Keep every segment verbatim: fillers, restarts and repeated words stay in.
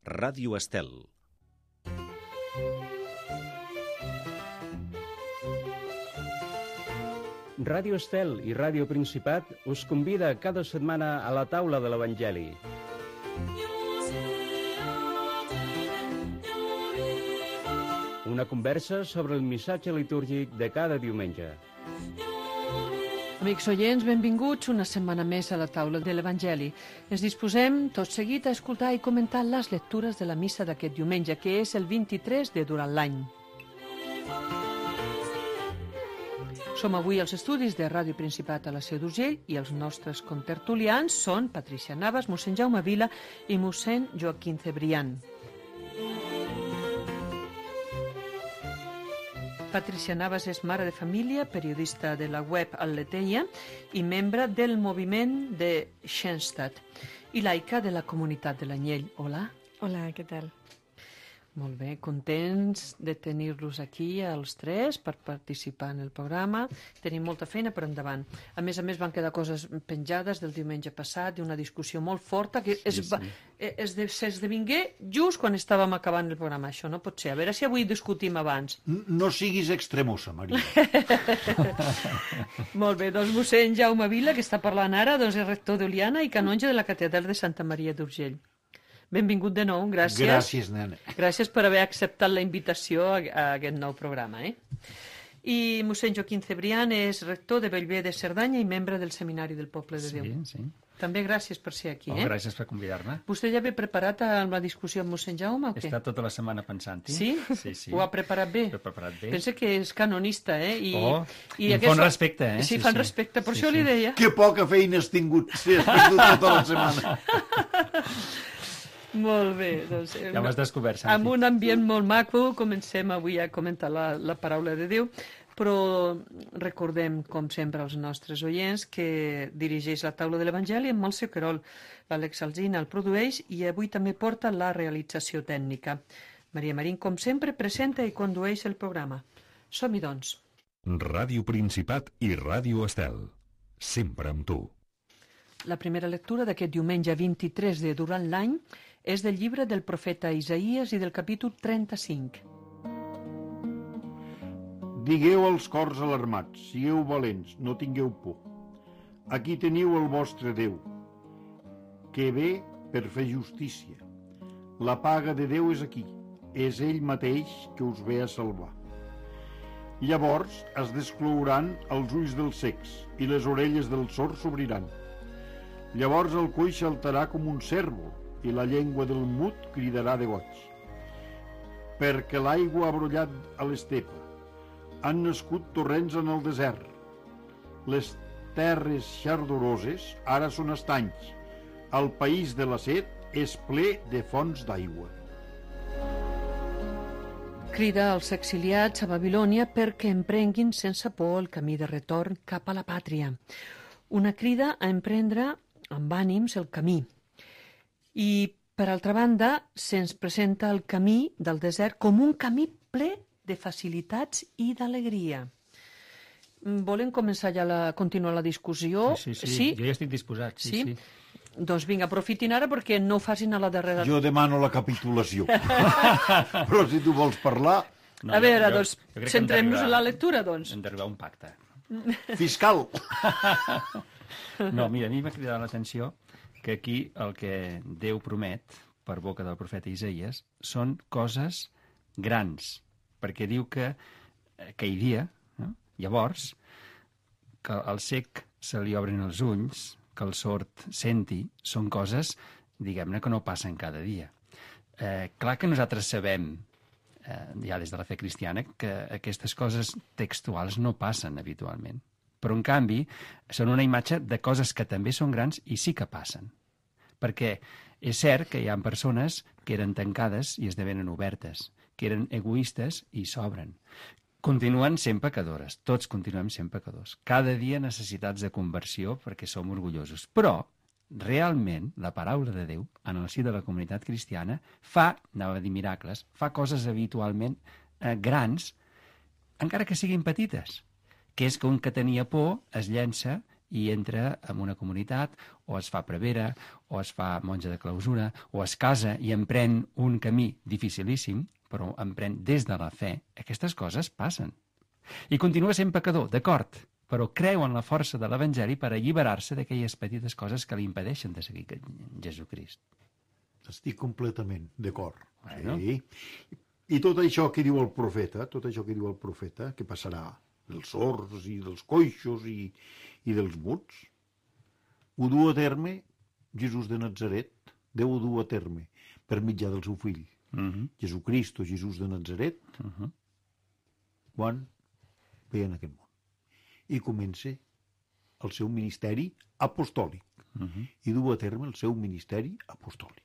Ràdio Estel. Ràdio Estel i Ràdio Principat us convida cada setmana a la taula de l'Evangeli. Una conversa sobre el missatge litúrgic de cada diumenge. Amics oients, benvinguts una setmana més a la taula de l'Evangeli. Ens disposem tot seguit a escoltar i comentar les lectures de la missa d'aquest diumenge, que és el vint-i-tres de durant l'any. Som avui als estudis de Ràdio Principat a la Seu d'Urgell i els nostres contertulians són Patricia Navas, mossèn Jaume Vila i mossèn Joaquín Cebrián. Patricia Navas és mare de família, periodista de la web Al-Leteia i membre del moviment de Schoenstatt i laica de la comunitat de l'Anyell. Hola. Hola, què tal? Molt bé, contents de tenir-los aquí els tres per participar en el programa. Tenim molta feina per endavant. A més a més van quedar coses penjades del diumenge passat, d'una discussió molt forta que es va, es de, s'esdevingué just quan estàvem acabant el programa. Això no pot ser. A veure si avui discutim abans. No siguis extremosa, Maria. Molt bé, doncs mossèn Jaume Vila, que està parlant ara, doncs és rector d'Oliana i canonge de la catedral de Santa Maria d'Urgell. Benvingut de nou, gràcies. Gràcies, nena. Gràcies per haver acceptat la invitació a, a aquest nou programa. Eh? I mossèn Joaquín Cebrián és rector de Bellver de Cerdanya i membre del Seminari del Poble de Déu. Sí, sí. També gràcies per ser aquí. Oh, eh? Gràcies per convidar-me. Vostè ja ve preparat amb la discussió amb mossèn Jaume o He què? estat tota la setmana pensant-hi. Sí? Sí, sí. Ho ha preparat bé? Ho he preparat bé. Pensa que és canonista, eh? I, Oh, i em aquest... fan respecte, eh? Sí, Sí, fan sí. respecte, per Sí, això sí. li deia. Que poca feina has tingut, sí, has tingut tota la setmana. Molt bé. Doncs, Ja m'has descobert, Santi. amb un ambient molt maco comencem avui a comentar la, la paraula de Déu, però recordem, com sempre, als nostres oients que dirigeix la taula de l'Evangeli en Montse Querol. L'Àlex Alsina el produeix i avui també porta la realització tècnica. Maria Marín, com sempre, presenta i condueix el programa. Som-hi, doncs. Ràdio Principat i Ràdio Estel. Sempre amb tu. La primera lectura d'aquest diumenge vint-i-tres de durant l'any és del llibre del profeta Isaïes i del capítol trenta-cinc. Digueu als cors alarmats, sigueu valents, no tingueu por. Aquí teniu el vostre Déu, que ve per fer justícia. La paga de Déu és aquí, és ell mateix que us ve a salvar. Llavors es desclouran els ulls dels cecs i les orelles dels sords s'obriran. Llavors el coix saltarà com un cérvol i la llengua del mut cridarà de goig. Perquè l'aigua ha brollat a l'estepa, han nascut torrents en el desert. Les terres xardoroses ara són estanys. El país de la set és ple de fonts d'aigua. Crida als exiliats a Babilònia perquè emprenguin sense por el camí de retorn cap a la pàtria. Una crida a emprendre amb ànims el camí. I, per altra banda, se'ns presenta el camí del desert com un camí ple de facilitats i d'alegria. Volen començar ja a continuar la discussió? Sí, sí, sí, sí. Jo ja estic disposat. Sí, sí. sí. Doncs vinga, aprofitin ara perquè no ho facin a la darrera... Jo demano la capitulació. Però si tu vols parlar... No, a veure, jo- doncs, jo crec que hem centrem-nos d'arribar- en la lectura, doncs. Hem d'arribar a un pacte. Fiscal! No, mira, a mi m'ha cridat l'atenció que aquí el que Déu promet, per boca del profeta Isaïes, són coses grans, perquè diu que aquell dia, no? Llavors, que al cec se li obrin els ulls, que el sord senti, són coses, diguem-ne, que no passen cada dia. Eh, clar que nosaltres sabem, eh, ja des de la fe cristiana, que aquestes coses textuals no passen habitualment. Però, en canvi, són una imatge de coses que també són grans i sí que passen. Perquè és cert que hi ha persones que eren tancades i esdevenen obertes, que eren egoistes i s'obren. Continuen sent pecadores, tots continuem sent pecadors. Cada dia necessitats de conversió perquè som orgullosos. Però, realment, la paraula de Déu, en el si de la comunitat cristiana, fa, anava a dir miracles, fa coses habitualment eh, grans, encara que siguin petites, que és que un que tenia por es llença i entra en una comunitat, o es fa prevera, o es fa monja de clausura, o es casa i emprèn un camí dificilíssim, però emprèn des de la fe, aquestes coses passen. I continua sent pecador, d'acord, però creu en la força de l'Evangeli per alliberar-se d'aquelles petites coses que li impedeixen de seguir Jesucrist. Estic completament d'acord. Bueno. Sí. I tot això que diu el profeta, tot això que diu el profeta, que passarà dels sords i dels coixos i, i dels muts, ho du a terme Jesús de Nazaret, Déu ho du a terme per mitjà del seu fill, Uh -huh. Jesucrist o Jesús de Nazaret, Uh -huh. quan ve en aquest món. I comença el seu ministeri apostòlic. Uh -huh. I du a terme el seu ministeri apostòlic.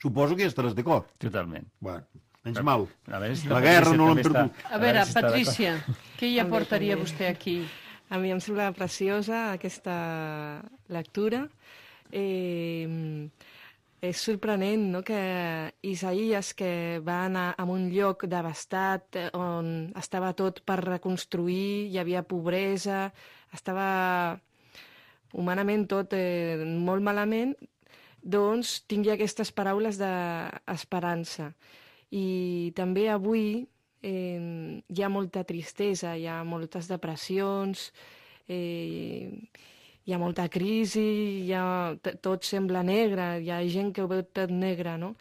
Suposo que ja estaràs d'acord. Totalment. Bueno, menys mal. A veure si La la guerra Patricia no l'hem també està- perdut. A veure, si està d'acord. Patrícia, què hi També, aportaria també. vostè aquí? A mi em sembla preciosa aquesta lectura. Eh, és sorprenent, no?, que Isaïes, que va anar a un lloc devastat, eh, on estava tot per reconstruir, hi havia pobresa, estava humanament tot eh, molt malament, doncs tingui aquestes paraules d'esperança. I també avui eh, hi ha molta tristesa, hi ha moltes depressions, eh, hi ha molta crisi, hi ha, t- tot sembla negre, hi ha gent que ho veu tot negre, no?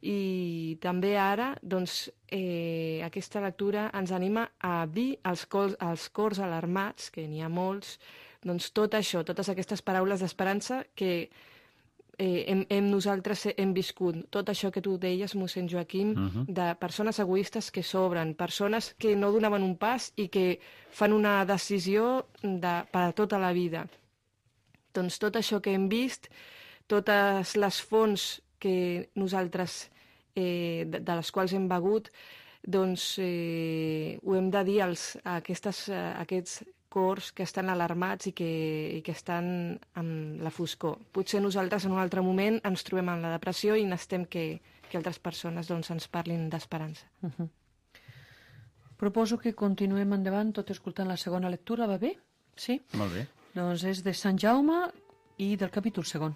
I també ara, doncs, eh, aquesta lectura ens anima a dir als cors, als cors alarmats, que n'hi ha molts, doncs tot això, totes aquestes paraules d'esperança que eh, hem, hem nosaltres hem viscut. Tot això que tu deies, mossèn Joaquim, Mhm. de persones egoistes que s'obren, persones que no donaven un pas i que fan una decisió de, per a tota la vida. Doncs tot això que hem vist, totes les fonts que nosaltres, eh, de, de les quals hem begut, doncs eh, ho hem de dir als, a, aquestes, a aquests cors que estan alarmats i que, i que estan amb la foscor. Potser nosaltres en un altre moment ens trobem en la depressió i necessitem que, que altres persones doncs, ens parlin d'esperança. Uh -huh. Proposo que continuem endavant tot escoltant la segona lectura, va bé? Sí? Molt bé. Doncs és de Sant Jaume i del capítol segon.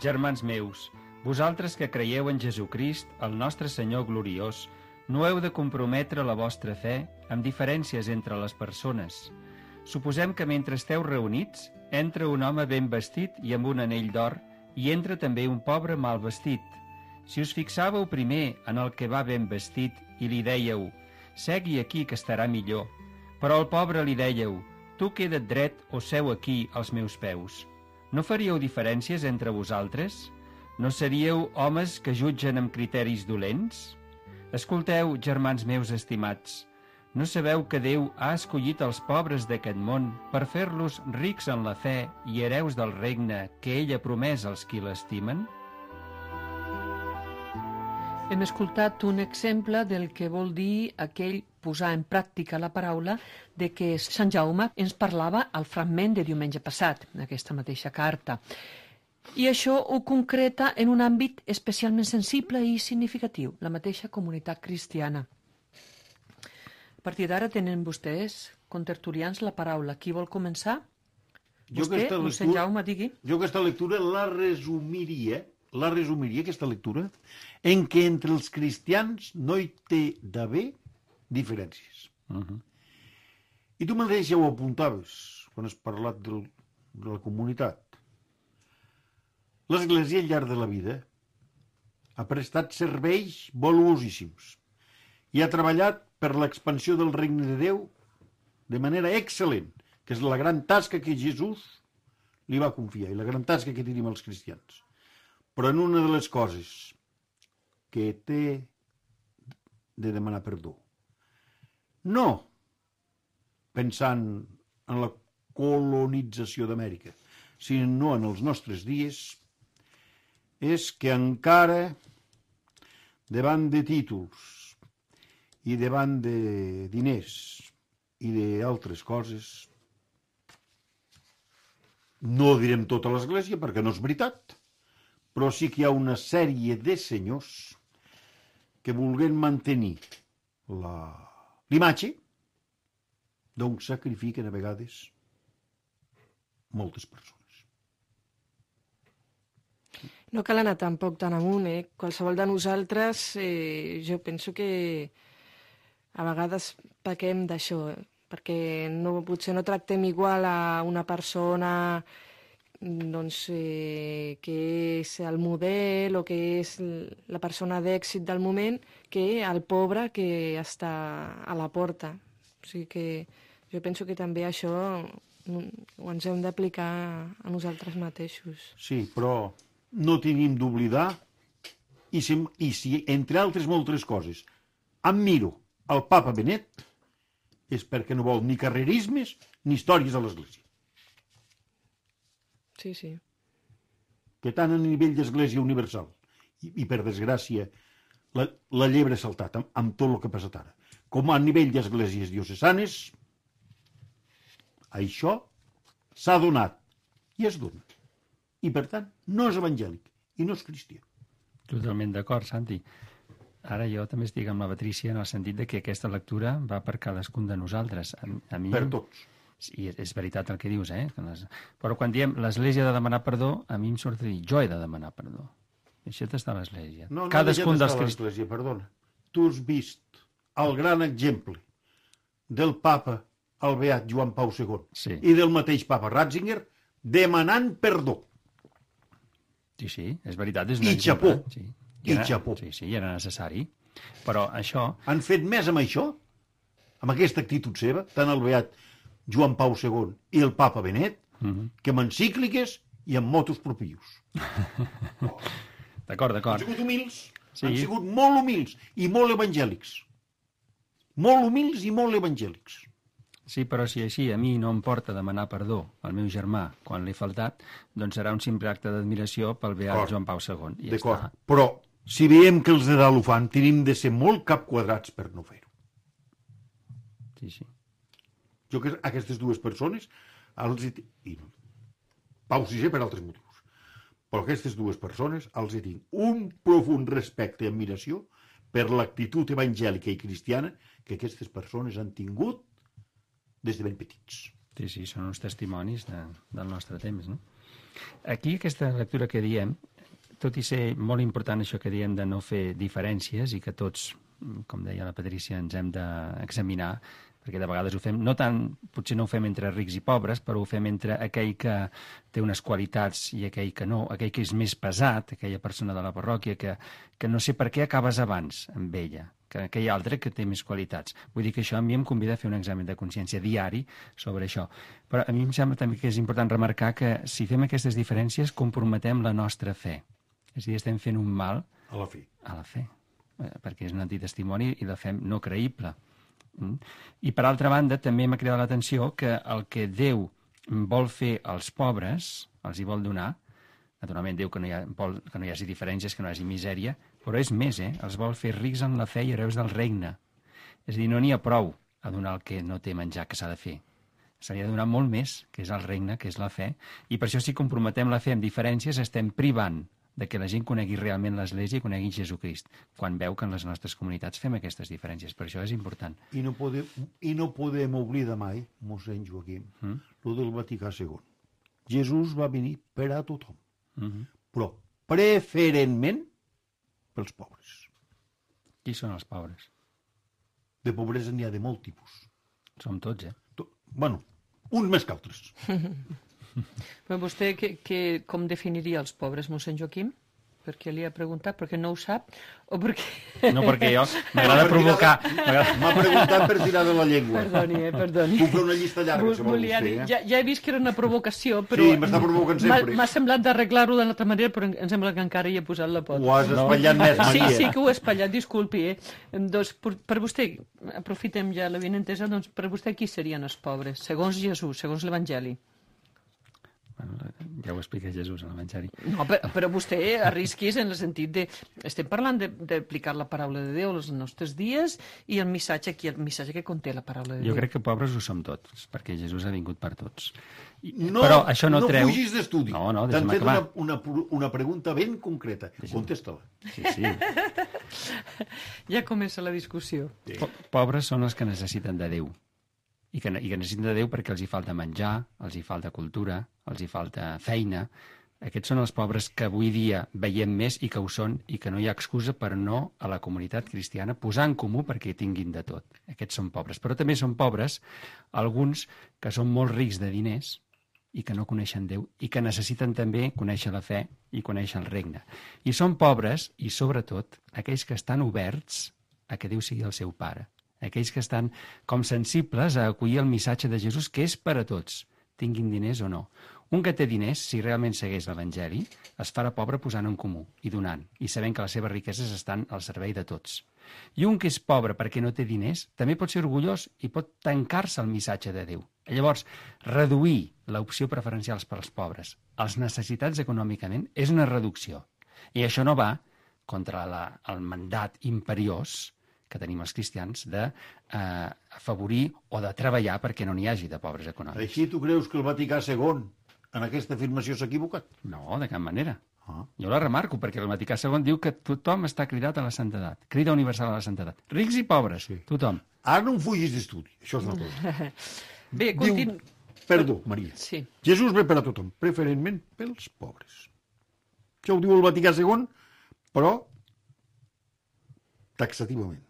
Germans meus, vosaltres que creieu en Jesucrist, el nostre Senyor gloriós, no heu de comprometre la vostra fe amb diferències entre les persones. Suposem que mentre esteu reunits, entra un home ben vestit i amb un anell d'or, i entra també un pobre mal vestit. Si us fixàveu primer en el que va ben vestit i li dèieu, segui aquí que estarà millor, però al pobre li dèieu, tu queda't dret o seu aquí als meus peus. No faríeu diferències entre vosaltres? No seríeu homes que jutgen amb criteris dolents? Escolteu, germans meus estimats, no sabeu que Déu ha escollit els pobres d'aquest món per fer-los rics en la fe i hereus del regne que ell ha promès als qui l'estimen? Hem escoltat un exemple del que vol dir aquell posar en pràctica la paraula de què Sant Jaume ens parlava al fragment de diumenge passat, en aquesta mateixa carta. I això ho concreta en un àmbit especialment sensible i significatiu, la mateixa comunitat cristiana. A partir d'ara tenen vostès, contertulians, la paraula. Qui vol començar? Jo Vostè, aquesta mossèn lectura- Jaume, digui. Jo aquesta lectura la resumiria, la resumiria, aquesta lectura, en què entre els cristians no hi té d'haver diferències. Uh -huh. I tu mateix ja ho apuntaves quan has parlat del, de la comunitat. L'Església al llarg de la vida ha prestat serveis valuosíssims i ha treballat per l'expansió del regne de Déu de manera excel·lent, que és la gran tasca que Jesús li va confiar i la gran tasca que tenim els cristians. Però en una de les coses que té de demanar perdó, no pensant en la colonització d'Amèrica, sinó en els nostres dies, és que encara davant de títols i davant de diners i d'altres coses, no direm tota l'Església perquè no és veritat, però sí que hi ha una sèrie de senyors que vulguin mantenir la- l'imatge doncs sacrifiquen a vegades moltes persones. No cal anar tampoc tan amunt, eh? Qualsevol de nosaltres, eh, jo penso que a vegades pequem d'això, eh? Perquè no, potser no tractem igual a una persona doncs, eh, que és el model o que és la persona d'èxit del moment que el pobre que està a la porta. O sigui que jo penso que també això ho ens hem d'aplicar a nosaltres mateixos. Sí, però no tenim d'oblidar, i si, i si, entre altres moltes coses, em miro el papa Benet, és perquè no vol ni carrerismes ni històries a l'Església. Sí, sí. Que tant a nivell d'Església Universal, i, i per desgràcia, la, la llebre ha saltat amb, amb tot el que ha passat ara, com a nivell d'esglésies diocesanes, això s'ha donat i es dona. I, per tant, no és evangèlic i no és cristià. Totalment d'acord, Santi. Ara jo també estic amb la Patrícia en el sentit de que aquesta lectura va per cadascun de nosaltres. A, a mi... Per tots. I és veritat el que dius, eh? Que les... Però quan diem l'Església ha de demanar perdó, a mi em surt a dir jo he de demanar perdó. Això està a l'Església. No, no cadascun dels crist... l'Església, perdona. Tu has vist el gran exemple del papa, el beat Joan Pau segon, sí. I del mateix papa Ratzinger demanant perdó. Sí, sí, és veritat. És I xapó. Sí. I era, xapó. Sí, sí, era necessari. Però això... Han fet més amb això, amb aquesta actitud seva, tant el beat Joan Pau segon i el papa Benet, uh -huh. que amb encícliques i amb motus propius. Oh. D'acord, d'acord. Han sigut humils, sí. Han sigut molt humils i molt evangèlics. Molt humils i molt evangèlics. Sí, però si així a mi no em porta demanar perdó al meu germà quan l'he faltat, doncs serà un simple acte d'admiració pel beat Joan Pau segon. I D'acord, ja però si veiem que els de dalt ho fan, tenim de ser molt capquadrats per no fer-ho. Sí, sí. Jo que aquestes dues persones, els hi... I no. Pau sisè per altres motius, però aquestes dues persones els hi tinc un profund respecte i admiració per l'actitud evangèlica i cristiana que aquestes persones han tingut des de ben petits. Sí, sí, són uns testimonis de, del nostre temps, no? Aquí, aquesta lectura que diem, tot i ser molt important això que diem de no fer diferències i que tots, com deia la Patrícia, ens hem d'examinar, perquè de vegades ho fem, no tant, potser no ho fem entre rics i pobres, però ho fem entre aquell que té unes qualitats i aquell que no, aquell que és més pesat, aquella persona de la parròquia que, que no sé per què acabes abans amb ella, que aquell altre que té més qualitats. Vull dir que això a mi em convida a fer un examen de consciència diari sobre això. Però a mi em sembla també que és important remarcar que si fem aquestes diferències comprometem la nostra fe. És a dir, estem fent un mal a la fe, a la fe perquè és un antitestimoni i la fem no creïble. I per altra banda també m'ha cridat l'atenció que el que Déu vol fer als pobres, els hi vol donar, naturalment Déu que no hi ha, vol que no hi hagi diferències, que no hi hagi misèria, però és més, eh? Els vol fer rics en la fe i hereus del regne. És a dir, no n'hi ha prou a donar el que no té menjar que s'ha de fer. Se li ha de donar molt més, que és el regne, que és la fe, i per això si comprometem la fe amb diferències estem privant de que la gent conegui realment l'Església i conegui Jesucrist, quan veu que en les nostres comunitats fem aquestes diferències. Per això és important. I no podem, i no podem oblidar mai, mossèn Joaquim, mm? lo del Vaticà segon. Jesús va venir per a tothom, mm-hmm. però preferentment pels pobres. Qui són els pobres? De pobresa n'hi ha de molt tipus. Som tots, eh? To... Bueno, uns més que altres. Però vostè que, que, com definiria els pobres, mossèn Joaquim? Perquè li ha preguntat, perquè no ho sap, o perquè... No, perquè jo m'agrada provocar... M'ha preguntat per tirar de la llengua. Perdoni, eh, perdoni. Puc fer una llista llarga, si vol Volia vostè, dir, eh? ja, ja he vist que era una provocació, però... Sí, m'està provocant sempre. M'ha semblat d'arreglar-ho d'una altra manera, però em sembla que encara hi he posat la pota. Ho has espatllat més, Maria. Sí, sí que ho he espatllat, disculpi. Eh? Doncs, per, per vostè, aprofitem ja la benentesa, doncs per vostè qui serien els pobres? Segons Jesús, segons l'Evangeli. Bueno, ja ho explica Jesús a l'Evangeli. No, però, però vostè arrisquis en el sentit de... Estem parlant d'aplicar la paraula de Déu als nostres dies i el missatge aquí, el missatge que conté la paraula de Déu. Jo crec que pobres ho som tots, perquè Jesús ha vingut per tots. I, no, però això no, no treu... fugis d'estudi. No, no, t'han fet una, una, una pregunta ben concreta. Contesta-la. Sí, sí. Ja comença la discussió. Sí. Po pobres són els que necessiten de Déu. i que, i que necessiten de Déu perquè els hi falta menjar, els hi falta cultura, els hi falta feina. Aquests són els pobres que avui dia veiem més i que ho són i que no hi ha excusa per no a la comunitat cristiana posar en comú perquè tinguin de tot. Aquests són pobres. Però també són pobres alguns que són molt rics de diners i que no coneixen Déu i que necessiten també conèixer la fe i conèixer el regne. I són pobres, i sobretot, aquells que estan oberts a que Déu sigui el seu pare. Aquells que estan com sensibles a acollir el missatge de Jesús, que és per a tots, tinguin diners o no. Un que té diners, si realment segueix l'Evangeli, es farà pobre posant en comú i donant, i sabent que les seves riqueses estan al servei de tots. I un que és pobre perquè no té diners, també pot ser orgullós i pot tancar-se al missatge de Déu. Llavors, reduir l'opció preferencial per als pobres als necessitats econòmicament és una reducció. I això no va contra la, el mandat imperiós que tenim els cristians de eh, afavorir o de treballar perquè no n'hi hagi de pobres econòmics. Així tu creus que el Vaticà segon en aquesta afirmació s'ha equivocat? No, de cap manera. Ah. Jo la remarco, perquè el Vaticà segon diu que tothom està cridat a la santedat. Crida universal a la santedat. Rics i pobres, sí. Tothom. Ara no em fugis d'estudi, això és una cosa. Bé, continu... Diu, perdó, Maria. Sí. Jesús ve per a tothom, preferentment pels pobres. Això ho diu el Vaticà segon, però taxativament.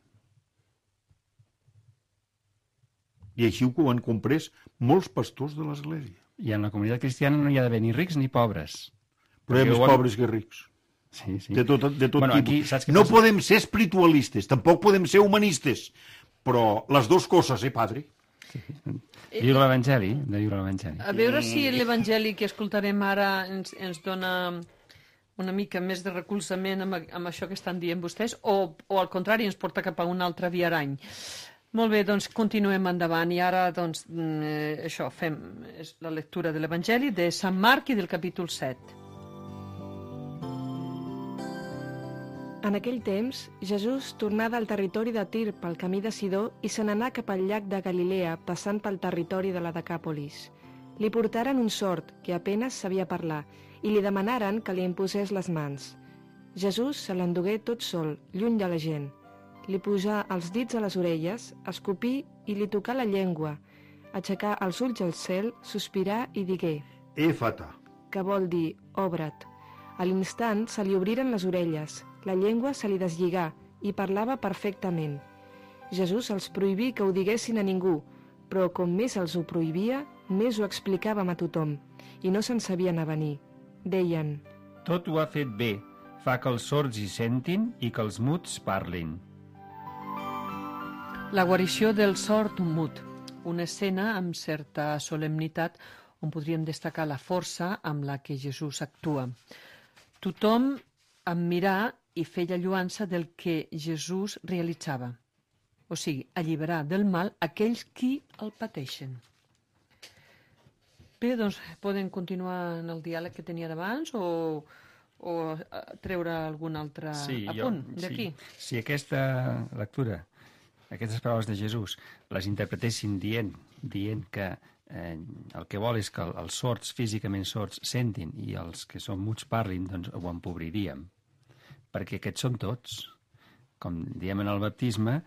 I així ho han comprès molts pastors de l'Església. I en la comunitat cristiana no hi ha d'haver ni rics ni pobres. Però hi ha més ho... pobres que rics. Sí, sí. De tot, de tot bueno, tipus. aquí, saps què no passa? podem ser espiritualistes, tampoc podem ser humanistes, però les dues coses, eh, padre? Sí. De viure l'Evangeli, de viure l'Evangeli. A veure si l'Evangeli que escoltarem ara ens, ens dona una mica més de recolzament amb, amb això que estan dient vostès, o, o al contrari ens porta cap a un altre viarany. Molt bé, doncs continuem endavant i ara doncs, eh, això, fem la lectura de l'Evangeli de Sant Marc i del capítol set. En aquell temps, Jesús tornà del territori de Tir pel camí de Sidó i se n'anà cap al llac de Galilea, passant pel territori de la Decàpolis. Li portaren un sord, que apenas sabia parlar, i li demanaren que li imposés les mans. Jesús se l'endugué tot sol, lluny de la gent. Li posà els dits a les orelles, escopí i li tocà la llengua, aixecà els ulls al cel, sospirà i digué: Éfata. que vol dir obre't. A l'instant se li obriren les orelles, la llengua se li deslligà i parlava perfectament. Jesús els prohibí que ho diguessin a ningú, però com més els ho prohibia, més ho explicàvem a tothom, i no se'n sabien avenir. Deien: Tot ho ha fet bé, fa que els sords hi sentin i que els muts parlin. La guarició del sord mut, una escena amb certa solemnitat on podríem destacar la força amb la que Jesús actua. Tothom en mirar i feia lluança del que Jesús realitzava, o sigui, alliberar del mal aquells qui el pateixen. Bé, doncs poden continuar en el diàleg que tenia d'abans o, o treure algun altre sí, apunt jo, d'aquí? Sí. Si aquesta lectura, aquestes paraules de Jesús, les interpretessin dient, dient que eh, el que vol és que els sords, físicament sords, sentin i els que són muts parlin, doncs ho empobriríem. Perquè aquests som tots. Com diem en el baptisme,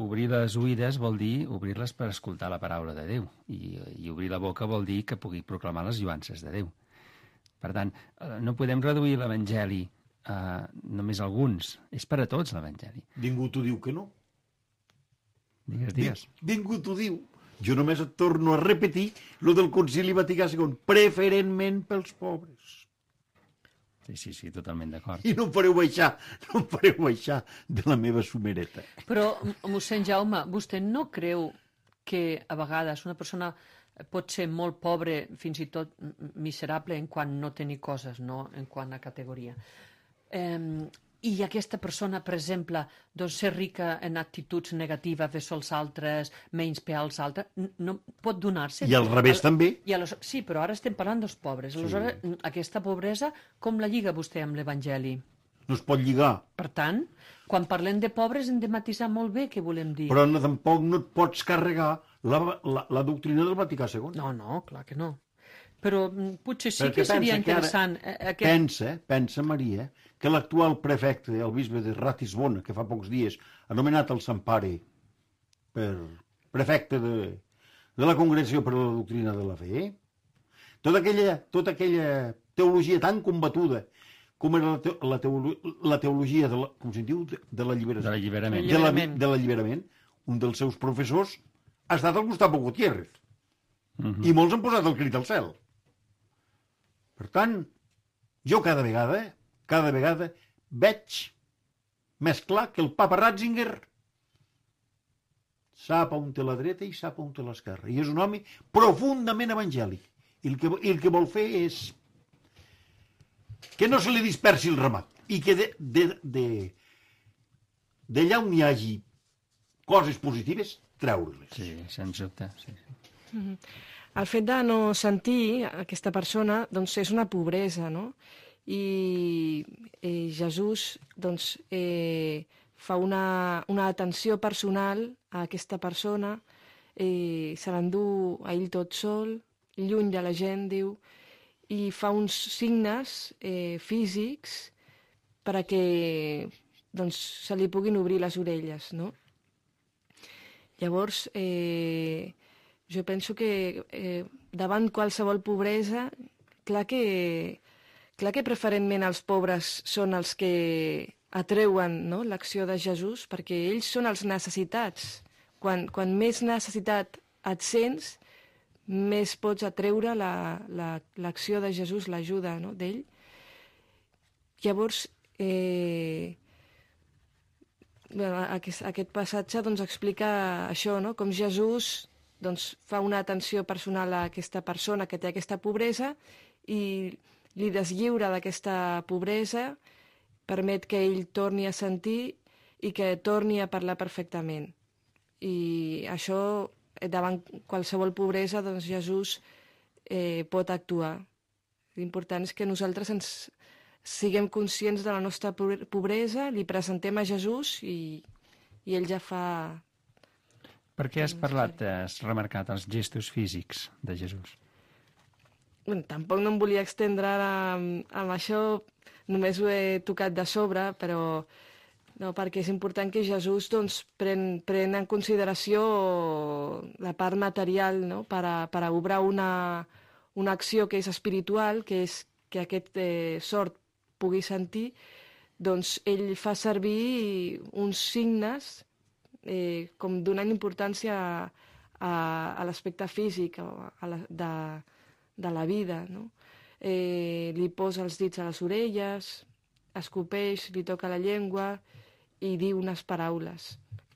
obrir les oïdes vol dir obrir-les per escoltar la paraula de Déu. I, i obrir la boca vol dir que pugui proclamar les lluances de Déu. Per tant, no podem reduir l'Evangeli a només alguns. És per a tots, l'Evangeli. Ningú t'ho diu que no. Digues, digues. Ningú t'ho diu. Jo només et torno a repetir lo del Concili Vaticà segon, preferentment pels pobres. Sí, sí, sí, totalment d'acord. I no em fareu baixar, no em fareu baixar de la meva sumereta. Però, mossèn Jaume, vostè no creu que a vegades una persona pot ser molt pobre, fins i tot miserable en quant no tenir coses, no? En quant a categoria. Eh, I aquesta persona, per exemple, doncs ser rica en actituds negatives vers els altres, menysprear els altres, no pot donar-se. I al revés al, també. I los, sí, però ara estem parlant dels pobres. Aleshores, sí. Aquesta pobresa, com la lliga vostè amb l'Evangeli? No es pot lligar. Per tant, quan parlem de pobres hem de matisar molt bé què volem dir. Però no, tampoc no et pots carregar la, la, la doctrina del Vaticà segon. No, no, clar que no. Però potser sí Perquè que seria interessant. Ara, aquest... Pensa, pensa, Maria, que l'actual prefecte, el bisbe de Ratisbona, que fa pocs dies ha nomenat el Sant Pare per prefecte de, de la Congregació per a la Doctrina de la Fe, tota aquella, tota aquella teologia tan combatuda com era la, te la, teolo la teologia de la, com se'n diu? De, de l'alliberament. De l'alliberament. De l'alliberament. De l'alliberament. Un dels seus professors ha estat el Gustavo Gutiérrez. Uh -huh. I molts han posat el crit al cel. Per tant, jo cada vegada, cada vegada veig més clar que el papa Ratzinger sap on té la dreta i sap on té l'esquerra. I és un home profundament evangèlic. I el que, i el que vol fer és que no se li dispersi el ramat i que d'allà de, de, de on hi hagi coses positives, treure-les. Sí, sens dubte. Sí, sí. Mm-hmm. El fet de no sentir aquesta persona doncs, és una pobresa, no? I eh, Jesús doncs, eh, fa una, una atenció personal a aquesta persona, eh, se l'endú a ell tot sol, lluny de la gent, diu, i fa uns signes eh, físics perquè doncs, se li puguin obrir les orelles, no? Llavors, eh, jo penso que eh, davant qualsevol pobresa, clar que, clar que preferentment els pobres són els que atreuen, no?, l'acció de Jesús, perquè ells són els necessitats. Quan, quan més necessitat et sents, més pots atreure l'acció la, la, de Jesús, l'ajuda, no?, d'ell. Llavors, eh, bueno, aquest, aquest passatge doncs, explica això, no?, com Jesús doncs, fa una atenció personal a aquesta persona que té aquesta pobresa i li deslliura d'aquesta pobresa, permet que ell torni a sentir i que torni a parlar perfectament. I això, davant qualsevol pobresa, doncs Jesús eh, pot actuar. L'important és que nosaltres ens siguem conscients de la nostra pobresa, li presentem a Jesús i, i ell ja fa... Per què has parlat, has remarcat els gestos físics de Jesús? Bueno, tampoc no em volia estendre ara amb, amb això, només ho he tocat de sobre, però no, perquè és important que Jesús doncs, pren, pren en consideració la part material, no?, per a, per a obrar una, una acció que és espiritual, que és que aquest eh, sord pugui sentir, doncs ell fa servir uns signes eh, com donant importància a, a, a l'aspecte físic a la, de, de la vida, no? Eh, li posa els dits a les orelles, escopeix, li toca la llengua i diu unes paraules.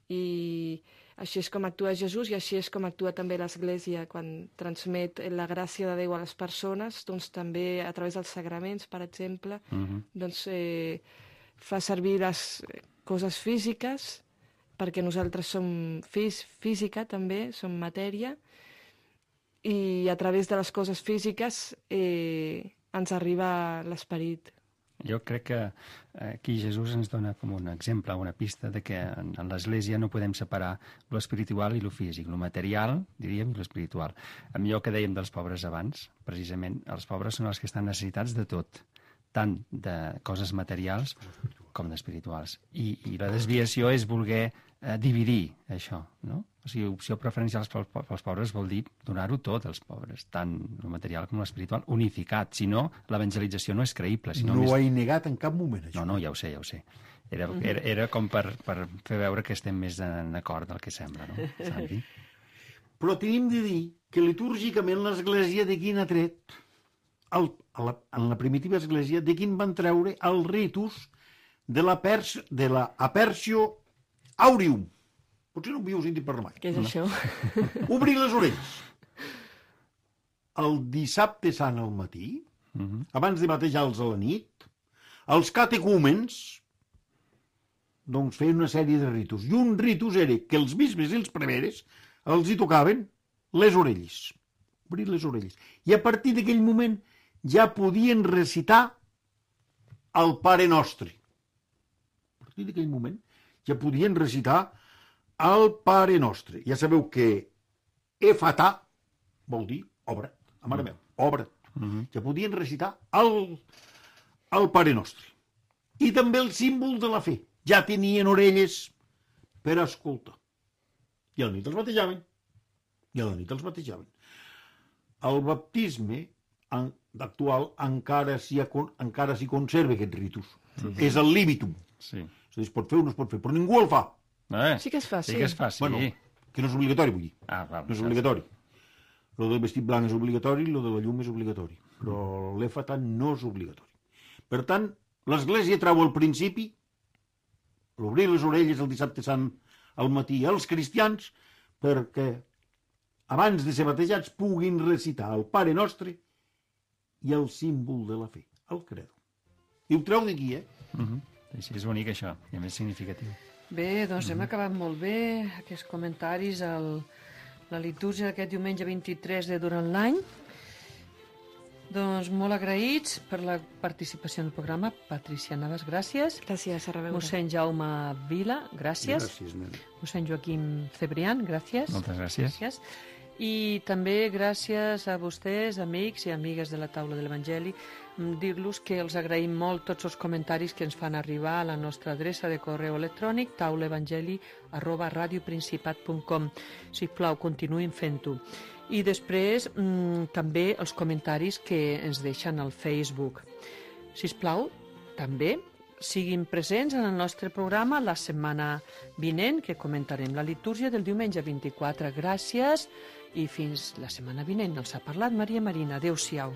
I així és com actua Jesús i així és com actua també l'Església quan transmet la gràcia de Déu a les persones, doncs també a través dels sagraments, per exemple, uh-huh. doncs eh, fa servir les coses físiques perquè nosaltres som fís física també, som matèria, i a través de les coses físiques eh, ens arriba l'esperit. Jo crec que aquí Jesús ens dona com un exemple, una pista de que en, en l'Església no podem separar lo espiritual i lo físic, lo material, diríem, i lo espiritual. Amb allò que dèiem dels pobres abans, precisament, els pobres són els que estan necessitats de tot, tant de coses materials com d'espirituals. I, I la desviació és voler eh, dividir això, no? O sigui, opció preferencial pels pobres vol dir donar-ho tot als pobres, tant el material com l'espiritual, unificat. Si no, l'evangelització no és creïble. Si no, no més... ho he negat en cap moment, això. No, no, ja ho sé, ja ho sé. Era, era, era com per, per fer veure que estem més en acord del que sembla, no, Santi? Però tenim de dir que litúrgicament l'Església de quin ha tret, el, a la, en la primitiva Església, de quin van treure el ritus de la, pers, de la aperció aureum. Potser no ho havíeu sentit parlar mai. Què és no? això? Obrir les orelles. El dissabte sant al matí, uh-huh. abans de batejar-los a la nit, els catecúmens doncs feien una sèrie de ritus. I un ritus era que els bisbes i els preveres els hi tocaven les orelles. Obrir les orelles. I a partir d'aquell moment ja podien recitar el Pare Nostre. A partir d'aquell moment ja podien recitar el Pare Nostre. Ja sabeu que efatà vol dir obra. A mare meva, obra. Uh-huh. Ja podien recitar el, el Pare Nostre. I també el símbol de la fe. Ja tenien orelles per escoltar. I al nit els batejaven. i a la nit els batejaven. El baptisme en, actual encara s'hi encara s'hi conserva aquest ritus. Sí. És el limitum. Sí. És a dir, es pot fer o no es pot fer, però ningú el fa. Eh, Sí que es fa, sí. sí. que es fa, sí. Bueno, que no és obligatori, vull dir. Ah, va, No és obligatori. Lo del vestit blanc és obligatori, lo de la llum és obligatori. Però l'efata no és obligatori. Per tant, l'Església treu al principi l'obrir les orelles el dissabte sant al matí als cristians perquè abans de ser batejats puguin recitar el Pare Nostre i el símbol de la fe, el credo. I ho treu d'aquí, eh? Uh -huh. Així és bonic, això, i a més significatiu. Bé, doncs hem acabat molt bé aquests comentaris a la litúrgia d'aquest diumenge vint-i-tres de durant l'any. Doncs molt agraïts per la participació en el programa. Patricia Navas, gràcies. Gràcies, a reveure. Mossèn Jaume Vila, gràcies. Gràcies, nen. Mossèn Joaquim Cebrián, gràcies. Moltes gràcies. gràcies. I també gràcies a vostès, amics i amigues de la Taula de l'Evangeli, dir-los que els agraïm molt tots els comentaris que ens fan arribar a la nostra adreça de correu electrònic taulaevangeli arroba radioprincipat punt com. Sisplau, continuïn fent-ho. I després mmm, també els comentaris que ens deixen al Facebook. Sisplau, també siguin presents en el nostre programa la setmana vinent, que comentarem la litúrgia del diumenge vint-i-quatre. Gràcies i fins la setmana vinent. Els ha parlat Maria Marina. Adéu-siau.